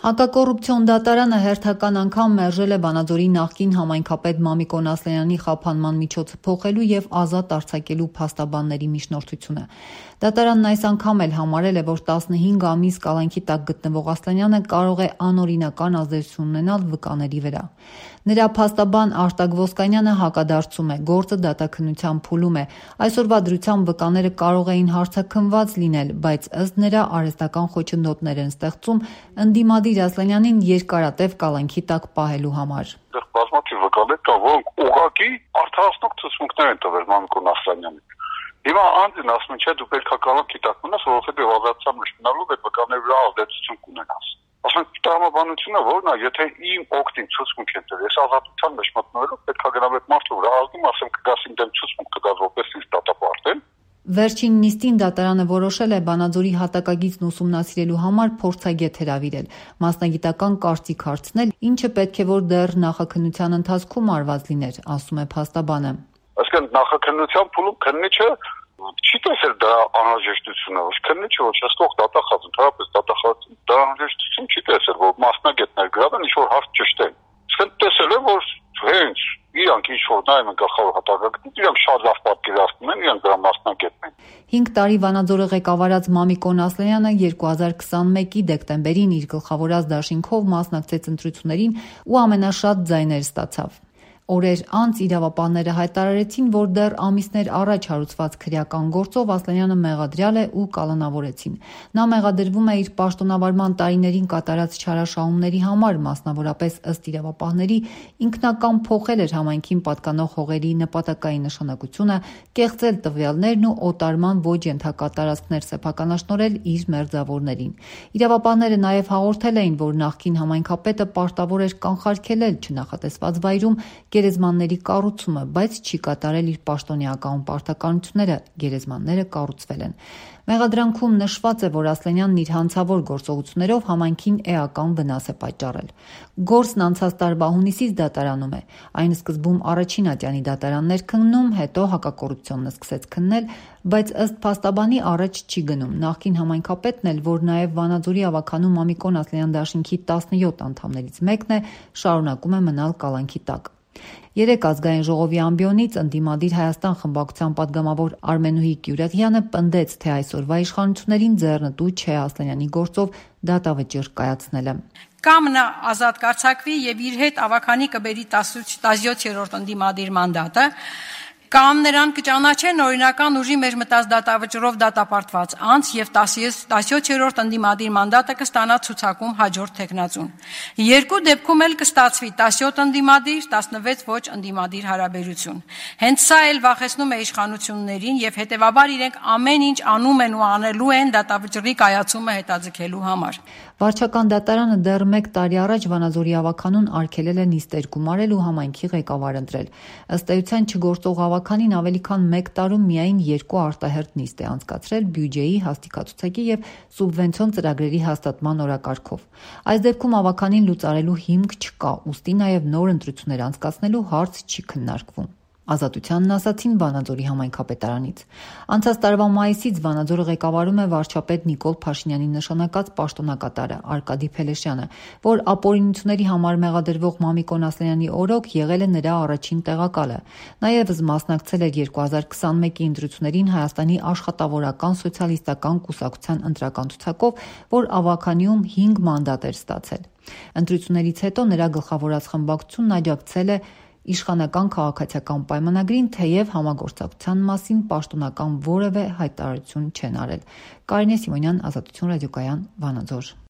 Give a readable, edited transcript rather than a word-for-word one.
Հակակոռուպցիոն դատարանը հերթական անգամ մերժել է Վանաձորի նախկին համայնքապետ Մամիկոն Ասլանյանի խափանման միջոցը փոխելու եւ ազատ արձակելու փաստաբանների միջնորդությունը։ Դատարանն այս անգամ էլ համարել է, որ 15 ամիս կալանքի տակ գտնվող Ասլանյանը կարող է անօրինական ազդեցություն ունենալ վկաների վրա։ Նրա փաստաբան Արտակ Ոսկանյանը հակադարձում է, գործը դատաքննության փուլում է, այսօրվա դրությամբ վկաները կարող էին հարցաքննված լինել, բայց ըստ նրա արհեստական խոչընդոտներ են ստեղծում ընդդիմադիր Ասլանյանին երկարատև կալանքի տակ պահելու համար։ Դեռ բազմաթիվ վկաներ կան, որոնք ուղղակի արդարացնող ցուցմունքներ են տվել Մամիկոն Ասլանյանին։ Հիմա անձին ասում են, չէ, դու պետք է կալանքի տակ մնաս, որովհետեւ ազատության մեջ մնալով այդ վկաների վրա ազդեցություն կունենաս։ Ասենք տրամաբանությունը որն է, եթե իմ օգտին ցուցմունք են տվել, ես ազատության մեջ մտնելով պետք է գնամ այդ մարդու վրա ազդում, ասեմ կգաս իմ դեմ ցուցմունք կգաս որպես ինձ դատապարտել։ Վերջին նիստին դատարանը որոշել է Վանաձորի հատակագիծն ուսումնասիրելու համար փորձագետ հրավիրել, մասնագիտական կարծիք հարցնել, ինչը պետք է որ դեռ նախաքննության ընթացքում արված լիներ, ասում է փաստաբանը։ Այսինքն նախաքննության փուլում քննիչը չի տեսել դրա անհրաժեշտությունը, ոչ քննիչը ոչ հսկող դատախազ, ընդհանրապես դատախազը դրա անհրաժեշտություն չի տեսել, որ մասնագետներ գրավեն ինչ-որ հարց ճշտեն։ Իսկ տեսել է, որ հենց իրանք ինչ-որ նայում են գլխավոր հատակագծից, իրանք շատ լավ պատկերացնում են, իրանք դրա մասնագետն են։ 5 տարի Վանաձորը ղեկավարած Մամիկոն Ասլանյանը 2021-ի դեկտեմբերին իր գլխավորած դաշինքով մասնակցեց ընտրություններին ու ամենաշատ ձայներ ստացավ։ Օրեր անց իրավապահները հայտարարեցին, որ դեռ ամիսներ առաջ հարուցված քրեական գործով Ասլանյանը մեղադրյալ է ու կալանավորեցին։ Նա մեղադրվում է իր պաշտոնավարման տարիներին կատարած չարաշահումների համար, մասնավորապես ըստ իրավապահների ինքնական փոխել էր համայնքին պատկանող հողերի նպատակային նշանակությունը, կեղծել տվյալներն ու օտարման ոչ ենթակա տարածքներ սեփականաշնորհել իր մերձավորներին։ Իրավապահները նաև հաղորդել էին, որ նախկին համայնքապետը պարտավոր էր կանխարգելել չնախատեսված վայրում գերեզմանների կառուցումը, բայց չի կատարել իր պաշտոնեական պարտականությունները, գերեզմանները կառուցվել են։ Մեղադրանքում նշված է, որ Ասլանյանն իր հանցավոր գործողություններով համայնքին էական վնաս է պատճառել։ Գործն անցած տարվա հունիսից դատարանում է։ Այն սկզբում առաջին ատյանի դատարանն էր քննում, հետո հակակոռուպցիոնն սկսեց քննել, բայց ըստ փաստաբանի առաջ չի գնում։ Նախկին համայնքապետն էլ, որ նաև Վանաձորի ավականու Մամիկոն Ասլանյան դաշինքի 17 անդամներից մեկն է, շարունակում է մնալ կալանքի տակ։ 3 ազգային ժողովի ամբիոնից ընդդիմադիր Հայաստան խմբակցության падգամավոր Արմենուհի Գյուրեղյանը պնդեց, թե այսօրվա իշխանություններին ձեռնտու չէ Ասլանյանի գործով դատավճիռ կայացնելը։ Կամ նա ազատ կարձակվի եւ իր հետ ավականի կբերի 17-րդ ընդդիմադիր մանդատը, կամ նրան կճանաչեն օրինական ուժի մեջ մտած դատավճռով դատապարտված անձ եւ 17-րդ ընդդիմադիր մանդատը կստանա ցուցակում հաջորդ թեկնածուն։ Երկու դեպքում էլ կստացվի 17 ընդդիմադիր, 16 ոչ ընդդիմադիր հարաբերություն։ Հենց սա էլ վախեցնում է իշխանություններին եւ հետեւաբար իրենք ամեն ինչ անում են ու անելու են դատավճռի կայացումը հետաձգելու համար։ Վարչական դատարանը դեռ 1 տարի առաջ Վանաձորի ավականուն արգելել է նիստեր գումարել ու համայնքի ղեկավար ընտրել։ Ըստ էության չգործող ավականին ավելի քան 1 տարում միայն 2 արտահերթ նիստ է անցկացրել բյուջեի, հաստիկացուցակի եւ սուբվենցիոն ծրագրերի հաստատման օրակարգով։ Այս դեպքում ավականին լուծարելու հիմք չկա, ուստի նաեւ նոր ընտրություններ անցկացնելու հարց չի քննարկվում։ Ազատությանն ասացին Վանաձորի համայնքապետարանից։ Անցած տարվա մայիսից Վանաձորը ղեկավարում է վարչապետ Նիկոլ Փաշինյանի նշանակած պաշտոնակատարը Արկադի Փելեշյանը, որ ապօրինությունների համար մեղադրվող Մամիկոն Ասլանյանի օրոք եղել է նրա առաջին տեղակալը։ Նաև մասնակցել էր 2021-ի ընտրություններին Հայաստանի աշխատավորական սոցիալիստական կուսակցության ընտրական ցուցակով, որ ավականիում 5 մանդատ էր ստացել։ Ընտրություններից հետո նրա գլխավորած խմբակցությունն աջակցել է իշխանական քաղաքացիական պայմանագրին, թեև համագործակցության մասին պաշտոնական որևէ հայտարարություն չեն արել։ Կարինե Սիմոնյան, Ազատություն ռադիոկայան, Վանաձոր։